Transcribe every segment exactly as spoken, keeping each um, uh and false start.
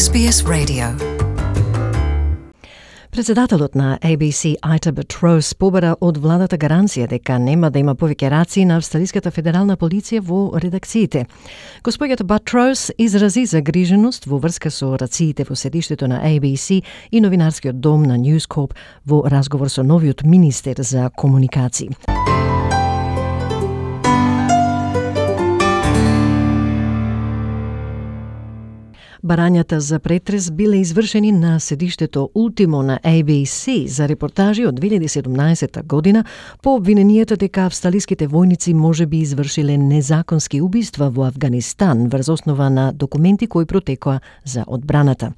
Ес Би Ес Radio. Председателот на А Б С Ita Buttrose побара од владата гаранција дека нема да има повеќе раци на австралиската федерална полиција во редакциите. Господјата Buttrose изрази загриженост во врска со рациите во седиштето на А Б С и новинарскиот дом на News Corp во разговор со новиот министер за комуникации. Барањата за претрес биле извршени на седиштето Ултимо на А Б С за репортажи од две илјади и седумнаесетта година по обвиненијата дека австралиските војници можеби извршиле незаконски убиства во Авганистан врз основа на документи кои протекоа за одбраната.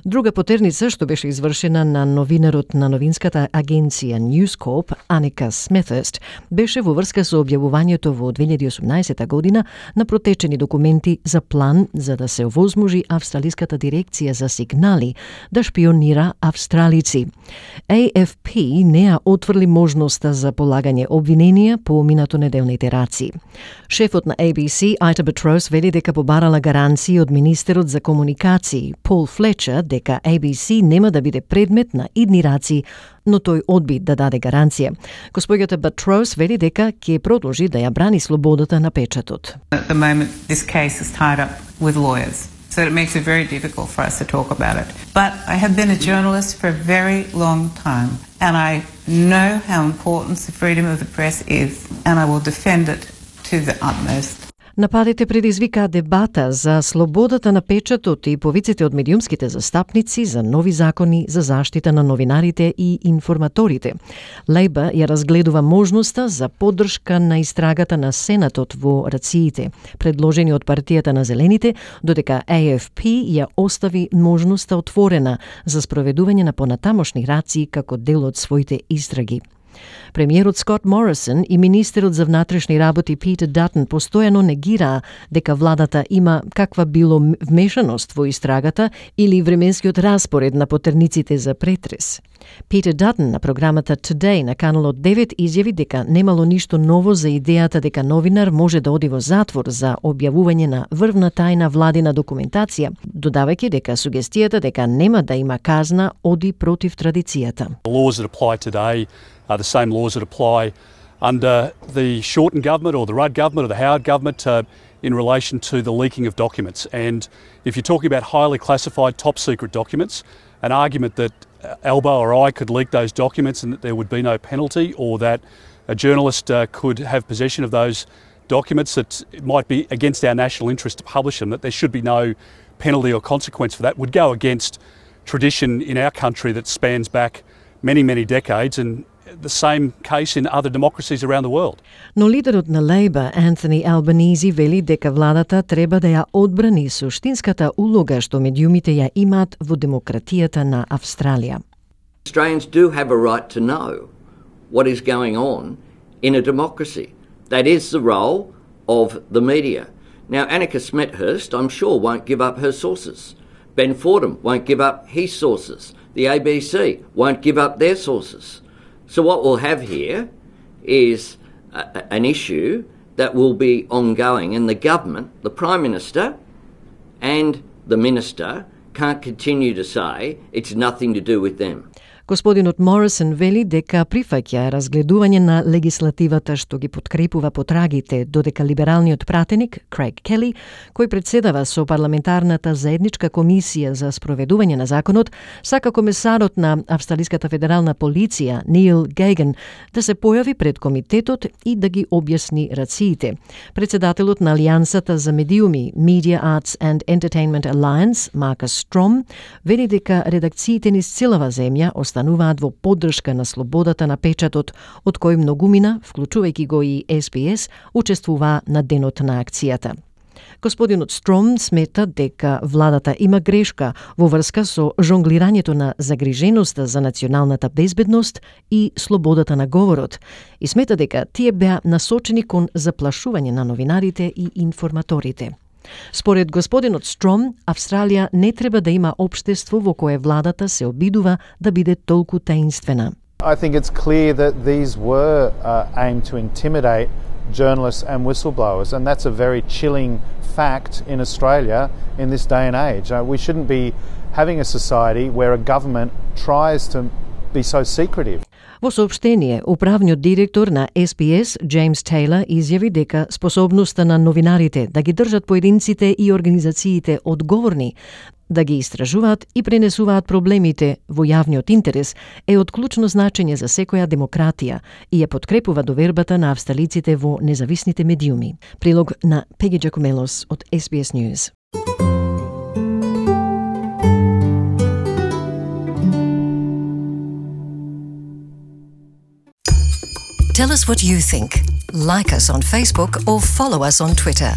Друга потерница што беше извршена на новинарот на новинската агенција News Corp, Аника Смethurst, беше во врска со објавувањето во две илјади и осумнаесетта година на протечени документи за план за да се овозможи австралиската дирекција за сигнали да шпионира австралици. А Ф П не ја отврли можноста за полагање обвиненија по минатонеделните раци. Шефот на А Б С, Ita Buttrose, вели дека побарала гаранции од министерот за комуникации, Пол Флечер, дека А Б С нема да биде предмет на идни раци, но тој одби да даде гаранција. Господјата Buttrose вели дека ќе продолжи да ја брани слободата на печатот. At the moment, this case is tied up with lawyers, so it makes it very difficult for us to talk about it. But I have been a journalist for a very long time, and I know how important the freedom of the press is, and I will defend it to the utmost. Нападите предизвикаа дебата за слободата на печатот и повиците од медиумските застапници за нови закони за заштита на новинарите и информаторите. Лејбър ја разгледува можноста за поддршка на истрагата на Сенатот во рациите, предложени од партијата на Зелените, додека А Ф П ја остави можноста отворена за спроведување на понатамошни раци како дел од своите истраги. Премиерот Скот Морисон и министерот за внатрешни работи Питер Датън постојано негираа дека владата има каква било вмешаност во истрагата или временскиот распоред на потерниците за претрес. Питер Датън на програмата Today на каналот девет изјави дека немало ништо ново за идејата дека новинар може да оди во затвор за објавување на врвна тајна владина документација, додавајќи дека сугестијата дека нема да има казна оди против традицијата. Are the same laws that apply under the Shorten government or the Rudd government or the Howard government uh, in relation to the leaking of documents. And if you're talking about highly classified, top secret documents, an argument that Albo or I could leak those documents and that there would be no penalty, or that a journalist uh, could have possession of those documents that it might be against our national interest to publish them, that there should be no penalty or consequence for that, would go against tradition in our country that spans back many, many decades, and the same case in other democracies around the world. Но лидерот на Лејбър, Антони Албанизи, вели дека владата треба да ја одбрани суштинската улога што медиумите ја имаат во демократијата на Австралија. Australians do have a right to know what is going on in a democracy. That is the role of the media. Now, Annika Smethurst, I'm sure, won't give up her sources. Ben Fordham won't give up his sources. The A B C won't give up their sources. So what we'll have here is a, an issue that will be ongoing, and the government, the Prime Minister and the Minister can't continue to say it's nothing to do with them. Господинот Морисон вели дека прифаќа разгледување на легислативата што ги подкрепува потрагите, додека либералниот пратеник Крейг Кели, кој председава со парламентарната заедничка комисија за спроведување на законот, сака комесарот на Австралиската федерална полиција Нил Гейган да се појави пред комитетот и да ги објасни рациите. Председателот на Алијансата за медиуми Media Arts and Entertainment Alliance, Маркус Стром, вели дека редакциите низ целава земја остануваат во поддршка на слободата на печатот, од кој многумина, вклучувајќи го и Ес Би Ес, учествуваа на денот на акцијата. Господинот Стром смета дека владата има грешка во врска со жонглирањето на загриженоста за националната безбедност и слободата на говорот, и смета дека тие беа насочени кон заплашување на новинарите и информаторите. Според господинот Стром, Австралија не треба да има општество во кое владата се обидува да биде толку таинствена. I think it's clear that these were uh, aimed to intimidate journalists and whistleblowers, and that's a very chilling fact in Australia in this day and age. Uh, we shouldn't be having a society where a government tries to be so secretive. Во соопштение, управниот директор на Ес Би Ес, Джеймс Тейлор, изјави дека способноста на новинарите да ги држат поединците и организациите одговорни, да ги истражуваат и пренесуваат проблемите во јавниот интерес е од клучно значење за секоја демократија и ја подкрепува довербата на австралиците во независните медиуми. Прилог на Пеги Джакомелос од Ес Би Ес News. Tell us what you think. Like us on Facebook or follow us on Twitter.